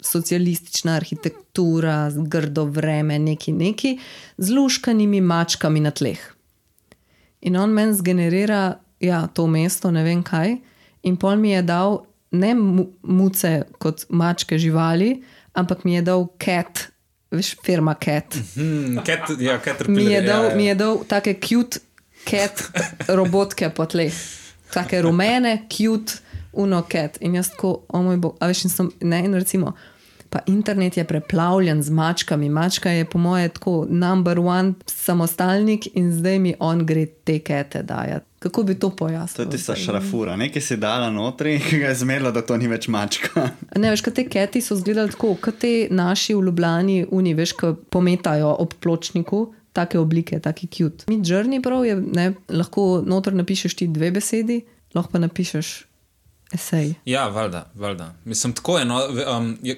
socialistična arhitektura, grdo vreme, neki, z luškanimi mačkami na tleh. In on meni zgenerira, to mesto, ne vem kaj, in pol mi je dal ne muce kot mačke živali, ampak mi je dal cat, veš, firma cat. Caterpillar. Mi je dal take cute cat robotke po tleh. Take rumene, cute, cat. In jaz tako, moj bog, a veš, in recimo, pa internet je preplavljen z mačkami. Mačka je po moje tako number one samostalnik in zdaj mi on gre te kete dajati. Kako bi to pojasnil? To je tista šrafura. Nekaj si dala notri, ki ga je zmerila, da to ni več mačka. Ne, veš, kaj te keti so izgledali tako, kot te naši v Ljubljani veš, ko pometajo ob pločniku, take oblike, taki cute. Midjourney prav je, ne, lahko noter napišeš ti 2 besedi, lahko pa napišeš esej. Ja, valjda. Mislim, tako je, no,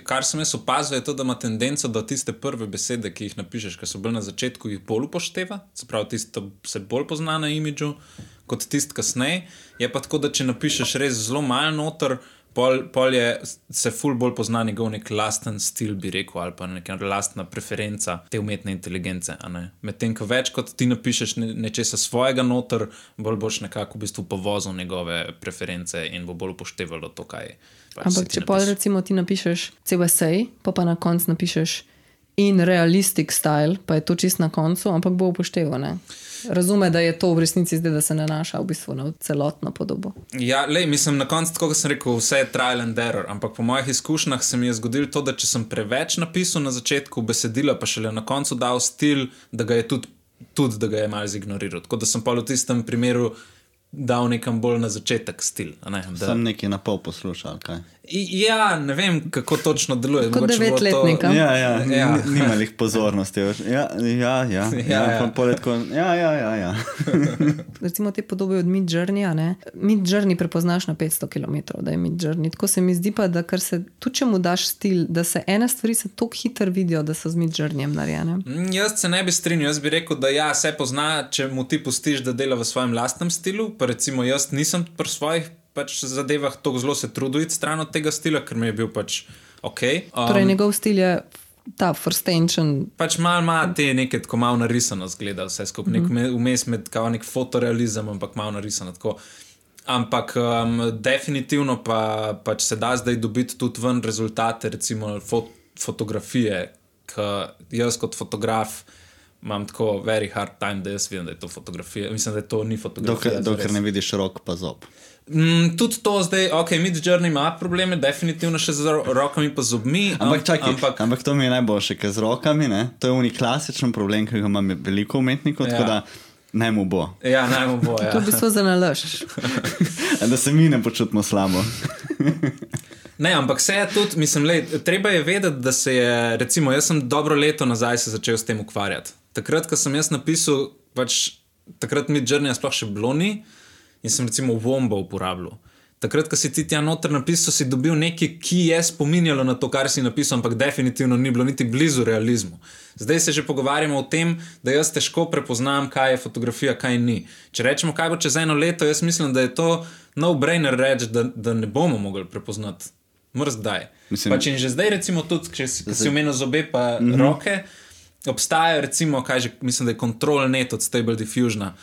kar sem jaz opazil, je to, da ima tendenco, da tiste prve besede, ki jih napišeš, ki so bolj na začetku, jih bolj upošteva, se pravi, tisto se bolj pozna na imidžu, kot tist kasneje. Je pa tako, da če napišeš res zelo malo noter, pol se ful bolj pozna njegov nek lasten stil, bi rekel, ali pa neka lastna preferenca te umetne inteligence. Medtem, ko več kot ti napišeš nečesa svojega noter, bolj boš nekako v bistvu povozil njegove preference in bo bolj upoštevalo to, kaj pač. Ampak če pol recimo ti napišeš cel esej, pa na koncu napišeš in realistic style, pa je to čist na koncu, ampak bo upošteval, ne? Razume, da je to v resnici zdaj, da se nanaša v bistvu na celotno podobo. Ja, mislim, na koncu, tako kot sem rekel, vse je trial and error, ampak po mojih izkušnjah se mi je zgodilo to, da če sem preveč napisal na začetku besedila, pa šele na koncu dal stil, da ga je tudi da ga je malo zignoriral. Tako da sem pa v tistem primeru dal nekam bolj na začetek stil. Sem nekaj na pol poslušal, kaj? Ja, ne vem, kako točno deluje. Kot 9-letnika. Ja. Nimalih pozornosti. Ja. Recimo te podobe od Midjourneyja, ne? Midjourney prepoznaš na 500 km, da je Midjourney. Tako se mi zdi pa, da kar se, tudi če mu daš stil, da se ene stvari se toliko hitro vidijo, da so z Midjourneyjem narejene. Jaz se ne bi strinjal, jaz bi rekel, da se pozna, če mu ti pustiš, da dela v svojem lastnem stilu, pa recimo jaz nisem pri svojih zadevah tako zelo se trudil iti stran od tega stila, ker mi je bil pač ok. Torej njegov stil je ta frstenčen. Pač malo ima te neke tako malo narisano zgleda vse skupaj, vmes med kao nek fotorealizem, ampak malo narisano tako. Ampak definitivno pač se da zdaj dobiti tudi ven rezultate, recimo fotografije, ker jaz kot fotograf imam tako very hard time, da jaz vidim, da je to fotografija. Mislim, da to ni fotografija. Dokler ne vidiš rok pa zob. Tudi to zdaj, Midjourney ima probleme, definitivno še z rokami pa zobmi. Ampak to mi je najboljše, ker z rokami, ne, to je klasičen problem, ki ga imam veliko umetnikov, tako da naj mu bo. Ja, naj mu bo, ja. To v bistvu za nalaž. Da se mi ne počutimo slabo. Ne, ampak se je tudi, mislim, treba je vedeti, da se je, recimo, jaz sem dobro leto nazaj se začel s tem ukvarjati. Takrat, ko sem jaz napisal, takrat Midjourney sploh še bilo ni, in sem recimo Wombo uporabljal. Takrat, ko si ti tja noter napisal, si dobil nekaj, ki je spominjalo na to, kar si napisal, ampak definitivno ni bilo niti blizu realizmu. Zdaj se že pogovarjamo o tem, da jaz težko prepoznam, kaj je fotografija, kaj ni. Če rečemo, kaj bo čez eno leto, jaz mislim, da je to no-brainer reči, da ne bomo mogli prepoznati. Mrzdaj. Pač in že zdaj recimo tudi, če si omenil zobe pa roke, obstaja recimo, mislim, da je Control Net od Stable Diffusiona.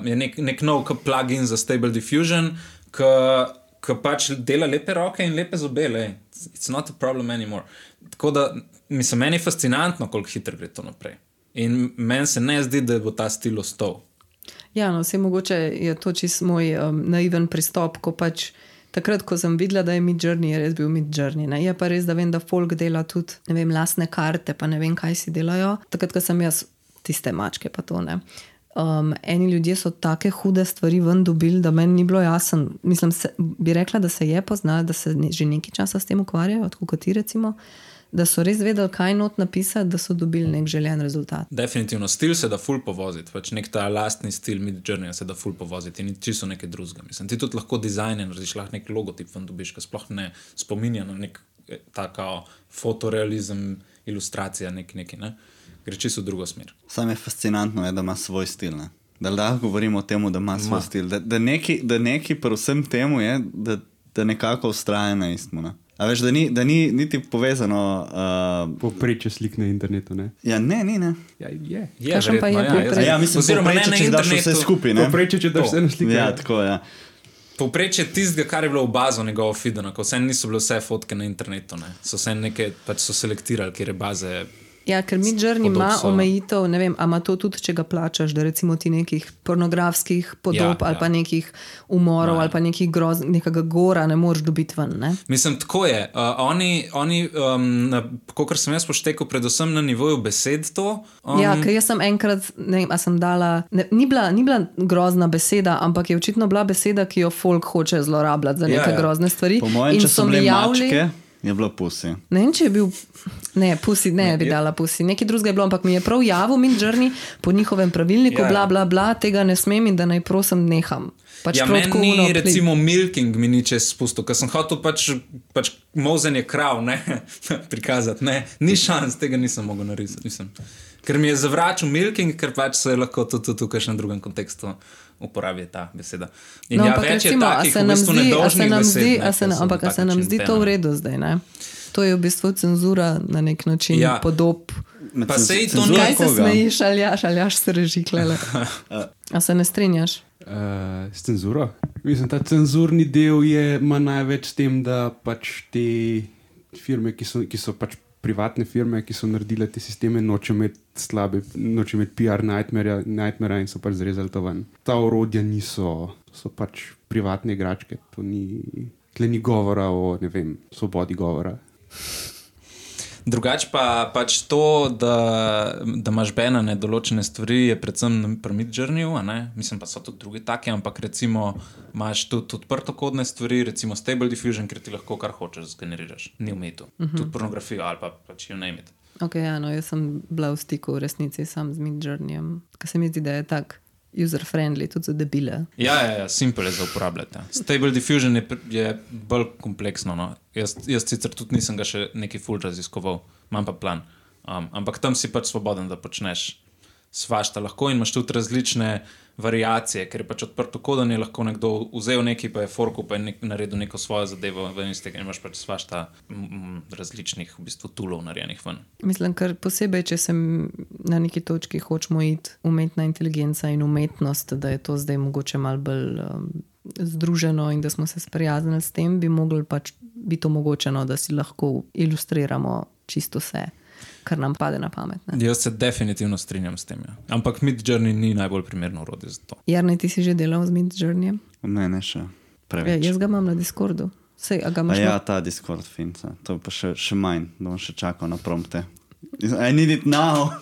Je nek nov plugin za Stable Diffusion, ki pač dela lepe roke in lepe zobe. It's not a problem anymore. Tako da, mislim, meni je fascinantno, koliko hitro gre to naprej. In meni se ne zdi, da bo ta stil ostal. Ja, no, vse mogoče je to čist moj naiven pristop, ko pač takrat, ko sem videla, da je Midjourney, je res bil Midjourney. Ne? Je pa res, da vem, da folk dela tudi, ne vem, lastne karte, pa ne vem, kaj si delajo. Takrat, ko sem jaz tiste mačke, pa to ne. Eni ljudje so take hude stvari ven dobili, da meni ni bilo jasen. Mislim, bi rekla, da se je poznalo, da se že nekaj časa s tem ukvarjajo, tako kot ti recimo, da so res vedeli, kaj not napisati, da so dobili nek željen rezultat. Definitivno, stil se da ful povoziti, pač nek ta lastni stil Midjourneya se da ful povoziti in čisto nekaj drugega. Mislim, ti tudi lahko dizajner, narediš lahko nek logotip ven dobiš, ki sploh ne spominja na nek taka fotorealizem, ilustracija nekaj, ne? Gre čisto v drugo smer. Sam je fascinantno, da ima svoj stil, ne? Da govorimo o tem, da ima svoj stil. Da neki pri vsem temu je, da nekako ustraja na istmu, ne? A veš, da ni niti povezano... Povprečje slik na internetu, ne? Ja, ne. Ja, je. Kakšen pa je povprečje? Ja, mislim, povprečje, če daš vse skupaj, ne? Povprečje, če daš vse na slike. Ja, tako, ja. Povprečje tistega, kar je bilo v bazo njegovo feeda, ko vse niso bile vse fotke na internetu, ne? So vse neke, pač so selektirali, kjer je baze... Ja, ker Midjourney ima omejitev, ne vem, a ima to tudi, če ga plačaš, da recimo ti nekih pornografskih podob ali pa nekih umorov ali pa nekega gora ne moreš dobiti ven, ne? Mislim, tako je. Oni kakor sem jaz poštekal, predvsem na nivoju besed to. Ja, ker jaz sem enkrat, ne vem, a sem dala, ni bila grozna beseda, ampak je očitno bila beseda, ki jo folk hoče zlorabljati za neke grozne stvari. Po mojem, če so bile mačke, je bilo pusi. Ne vem, če je bil... Ne, pusi, ne bi dala pusi. Nekaj drugega je bilo, ampak mi je prav javil Midjourney po njihovem pravilniku, bla, tega ne smem in da naj prosim neham. Pač meni ni recimo milking mi ni čez spustil, ker sem hotel pač mozenje krav, ne, prikazati, ne. Ni šans, tega nisem mogel narisati, mislim. Ker mi je zavračal milking, ker pač se lahko tudi v kakšnem drugem kontekstu uporabi ta beseda. In no, ja, več je takih v bistvu nedolžnih besed. Ampak se nam zdi to v redu zdaj, ne? To je v bistvu cenzura na nek način podob. Pa sej to ni... Kaj se smejiš, aljaš se reži klele. A se ne strinjaš? S cenzuro? Mislim, ta cenzurni del ima največ s tem, da pač te firme, ki so pač privatne firme, ki so naredile te sisteme, noče imeti PR nightmare in so pač zrezali to ven. Ta orodja so pač privatne igračke. Tle ni govora o, ne vem, svobodi govora. Drugač pa pač to, da imaš banane določene stvari, je predvsem pri Midjourneyju, a ne? Mislim, pa so tudi drugi taki, ampak recimo imaš tudi odprtokodne stvari, recimo Stable Diffusion, ker ti lahko kar hočeš zgeneriraš, ni umetu. Tudi pornografijo ali pa pač you name it. Ok, ja, no, jaz sem bila v stiku v resnici sam z Midjourneyjem, ker se mi zdi, da je tak user-friendly, tudi za debile. Ja, simple je za uporabljati. Stable Diffusion je bolj kompleksno, no. Jaz sicer tudi nisem ga še neki ful raziskoval, imam pa plan. Ampak tam si pač svoboden, da počneš svašta lahko in imaš tudi različne variacije, ker je pač odprto kodanje, lahko nekdo vzel nekaj, pa je forku, pa je naredil neko svojo zadevo ven iz tega in imaš pač svašta različnih v bistvu toolov narejenih ven. Mislim, ker posebej, če sem na neki točki hočemo iti umetna inteligenca in umetnost, da je to zdaj mogoče malo bolj združeno in da smo se sprijaznili s tem, bi mogli pač biti omogočeno, da si lahko ilustriramo čisto vse. kar nam pade na pamet. Ne? Jaz se definitivno strinjam s tem. Ja. Ampak Midjourney ni najbolj primerno orodje za to. Jarnej, ti si že delal z Midjourneyjem? Ne še preveč. Jaz ga imam na Discordu. Sej, a ga imaš Ja, ta Discord finca. To pa še manj, da bom še čakal na prompte. I need it now.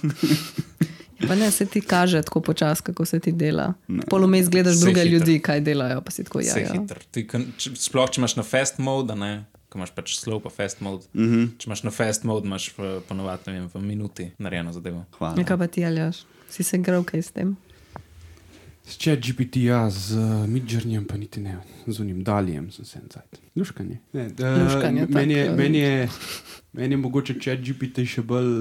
Pa ne, se ti kaže tako počas, kako se ti dela. Polomej gledaš druge ljudi, kaj delajo, pa si tako Vse hitro. Sploh, če imaš na fast mode, ne? Ko imaš pač slow pa fast mode. Če imaš na fast mode, imaš ponovadi, ne vem, v minuti narejeno zadevo. Hvala. Nekaj pa ti, Aljaž? Si se igral kaj s tem? S ChatGPT, ja, z Midjourneyjem pa niti ne, z unim Dalijem sem se encajt. Luškanje. Luškanje, Meni je mogoče ChatGPT še bolj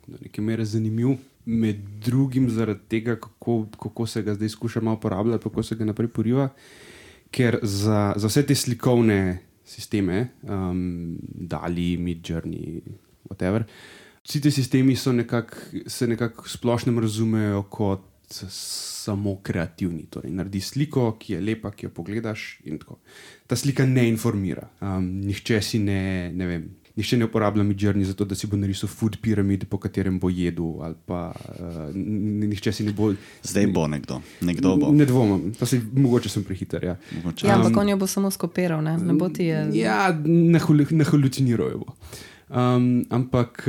do neke mere zanimiv, med drugim zaradi tega, kako se ga zdaj skuša malo uporabljati, kako se ga naprej poriva, ker za vse te slikovne sisteme, Dali, Midjourney, whatever, vsi te sistemi se nekako splošnem razumejo kot samo kreativni. Torej, naredi sliko, ki je lepa, ki jo pogledaš in tako. Ta slika ne informira. Nihče ne uporablja Midjourney zato, da si bo narisal food pyramid, po katerem bo jedel, ali pa nihče si ne bo... Zdaj bo nekdo bo. Ne dvomim, mogoče sem prehiter, ja. Ja, ampak on jo bo samo skopiral, ne bo ti je... Ja, nahaluciniral jo bo. Ampak...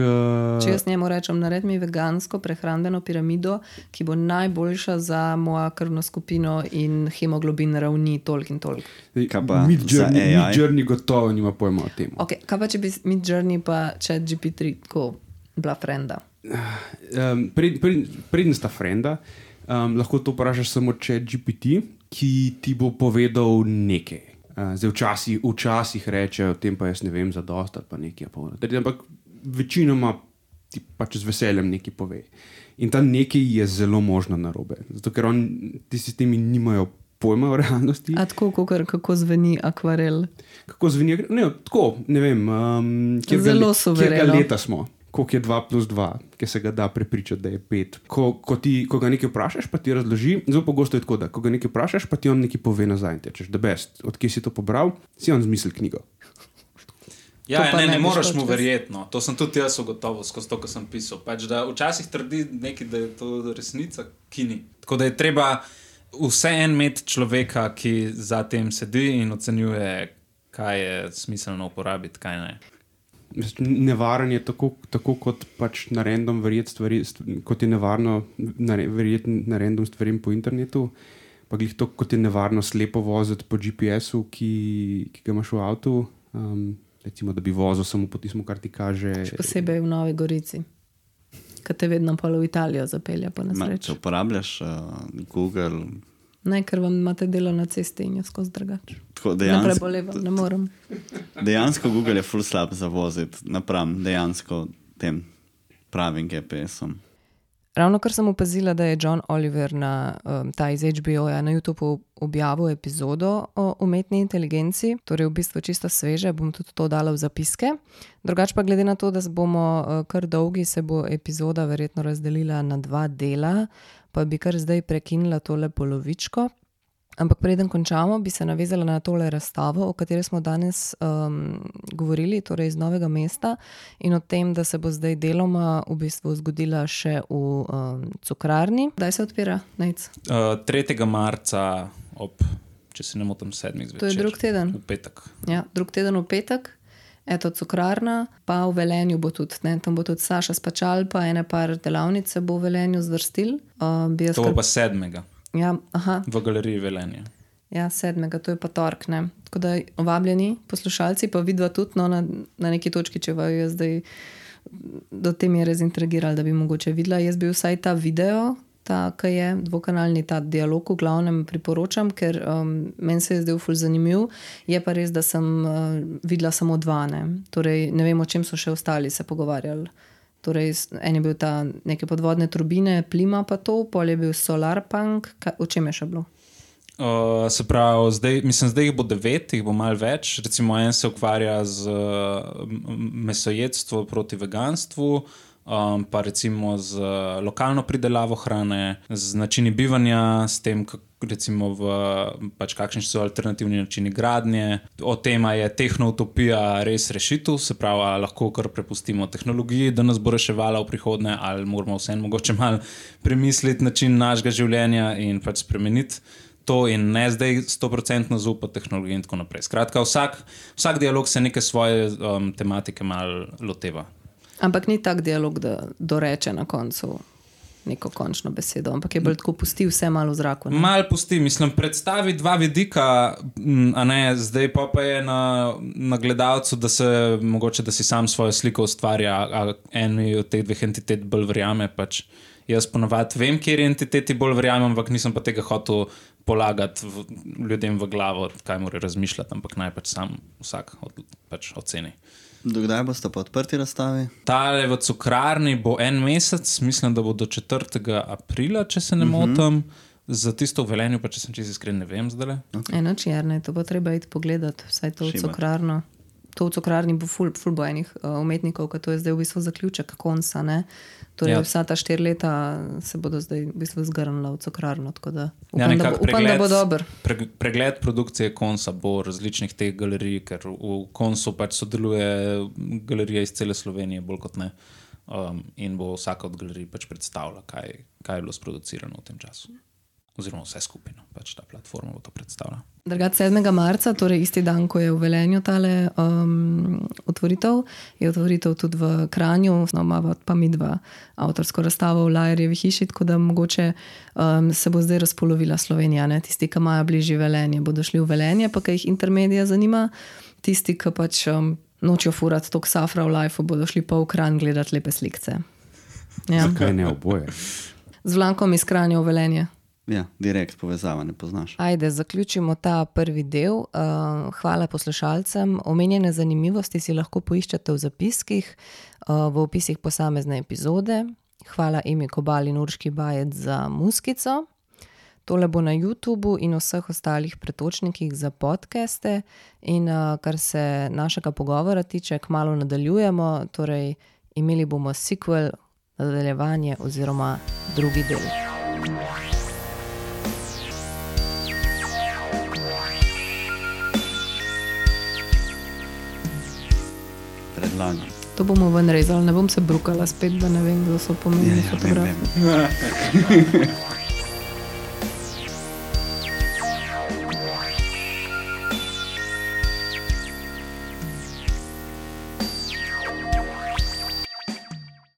Če jaz njemu rečem, naredi mi vegansko prehrambeno piramido, ki bo najboljša za mojo krvno skupino in hemoglobin ravni toliko in toliko. Midjourney gotovo nima pojma o tem. Okay, kaj pa če bi Midjourney pa ChatGPT tako bila frenda? Preden sta frenda, lahko to vprašaš samo ChatGPT, ki ti bo povedal nekaj. Zdaj včasih reče, o tem pa jaz ne vem za dost ali pa nekaj. Ampak večinoma ti pač z veseljem nekaj pove. In ta nekaj je zelo možno narobe. Zato, ker ti sistemi nimajo pojma o realnosti. A tako, kako zveni akvarel? Kako zveni akvarel? Ne, tako, ne vem. Zelo suvereno. Kjerga leta smo? Koliko je 2 plus 2, ki se ga da prepričati, da je 5. Ko ga nekaj vprašaš, pa ti razloži, zelo pogosto je tako, da ko ga nekaj vprašaš, pa ti on nekaj pove nazaj in tečeš, the best, odkje si to pobral, si on zmislil knjigo. Ja, ne moreš mu verjetno. To sem tudi jaz ugotovil skozi to, ko sem pisal. Pač, da včasih trdi nekaj, da je to resnica, ki ni. Tako da je treba vseeno imeti človeka, ki za tem sedi in ocenjuje, kaj je smiselno uporabiti, kaj ne. Nevaren je tako kot pač na random verjeti stvari, kot je nevarno verjeti na random stvarim po internetu, pa glih to, kot je nevarno slepo voziti po GPS-u, ki ga imaš v avtu, recimo, da bi vozil samo po tismu, kar ti kaže. Še posebej v Novi Gorici, kad te vedno polo v Italijo zapelja po nesreči. Če uporabljaš Google... Ne, ker vam imate delo na cesti in jo skozi drugače. Ne prebolevam, ne morem. Dejansko Google je ful slab za voziti napram dejansko tem pravim GPS-om. Ravno kar sem opazila, da je John Oliver ta iz HBO-ja na YouTubeu objavil epizodo o umetni inteligenci, torej v bistvu čisto sveže, bom tudi to dala v zapiske. Drugače pa glede na to, da bomo kar dolgi, se bo epizoda verjetno razdelila na 2 dela, pa bi kar zdaj prekinila tole polovičko. Ampak preden končamo, bi se navezala na tole razstavo, o kateri smo danes govorili, torej iz Novega mesta, in o tem, da se bo zdaj deloma v bistvu zgodila še v Cukrarni. Kdaj se odpira, Nejc? 3. marca če se ne motim, 7. zvečer. To je drug teden? V petek. Ja, drug teden v petek. Eto, Cukrarna, pa v Velenju bo tudi, ne? Tam bo tudi Saša Spačal, pa ene par delavnice bo v Velenju zvrstil. To bo pa 7. Ja, aha. V galeriji Velenja. Ja, 7. To je pa tork, ne. Tako da vabljeni poslušalci, pa vidva tudi na neki točki, če vaju jaz zdaj do te mere zintrigirali, da bi mogoče videla. Jaz bi vsaj ta video, ki je dvokanalni, ta dialog v glavnem priporočam, ker meni se je zdaj ful zanimiv. Je pa res, da sem videla samo 2, ne. Torej, ne vem, o čem so še ostali se pogovarjali. Torej, en je bil ta neke podvodne turbine, plima pa to, pol je bil solarpunk, o čem je še bilo? Se pravi, zdaj jih bo 9, jih bo malo več. Recimo, en se ukvarja z mesojedstvo proti veganstvu, pa recimo z lokalno pridelavo hrane, z načini bivanja, s tem, recimo kakšni so alternativni načini gradnje. O tem, je tehnoutopija res rešitev, se pravi, lahko kar prepustimo tehnologiji, da nas bo reševala v prihodnje, ali moramo vseeno mogoče malo premisliti način našega življenja in pač spremeniti to in ne zdaj 100% zaupati tehnologiji in tako naprej. Skratka, vsak dialog se neke svoje tematike malo loteva. Ampak ni tak dialog, da doreče na koncu neko končno besedo, ampak je bolj tako pusti vse malo v zraku. Malo pusti, mislim, predstavi dva vidika, a ne, zdaj pa je na gledalcu, da se mogoče, da si sam svojo sliko ustvarja, a eni od teh dveh entitet bolj verjame, pač jaz ponavadi vem, kjer entiteti bolj verjamem, ampak nisem pa tega hotel polagati ljudem v glavo, kaj mora razmišljati, ampak naj pač sam vsak oceni. Dokdaj boste pa odprti razstavi? Tale v Cukrarni bo 1 mesec, mislim, da bo do 4. aprila, če se ne motim. Za tisto v Velenju, pa če sem čisto iskren, ne vem zdaj. Okay. Enoč, Jernej, to bo treba iti pogledati, vsaj to v Cukrarno. To v Cukrarni bo ful bo enih umetnikov, ker to je zdaj v bistvu zaključek konca, ne? Torej vsa ta 4 leta se bodo zdaj v bistvu zgrnila v Cukrarno, tako da upam, da bo dober. Pregled produkcije konca bo različnih teh galerij, ker v koncu pač sodeluje galerija iz cele Slovenije, bolj kot ne. In bo vsaka od galerij pač predstavila, kaj je bilo sproducirano v tem času. Oziroma vse skupino, pač ta platforma bo to predstavila. Drugače 7. marca, torej isti dan, ko je v Velenju tale otvoritev, je otvoritev tudi v Kranju, imava pa mi dva avtorsko razstavo v Lajerjevi hiši, tako da mogoče se bo zdaj razpolovila Slovenija, ne? Tisti, ki imajo bližje Velenje, bodo šli v Velenje, pa kaj jih Intermedia zanima, tisti, ki pač nočijo furati tok safra v lifeu, bodo šli pa v Kranj gledati lepe slikce. Ja. Zakaj ne oboje? Z Vlankom iz Kranja v Velenje. Ja, direkt povezava, ne poznaš. Ajde, zaključimo ta prvi del. Hvala poslušalcem. Omenjene zanimivosti si lahko poiščete v zapiskih, v opisih posamezne epizode. Hvala Emi Kobal in Urški Bajec za muskico. Tole bo na YouTubu in vseh ostalih pretočnikih za podcaste. In kar se našega pogovora tiče, kmalu nadaljujemo, torej imeli bomo sequel, nadaljevanje oziroma drugi del. Predlagam. To bomo ven rezali, ne bom se brukala spet, da ne vem, kdo so pomembni fotografi.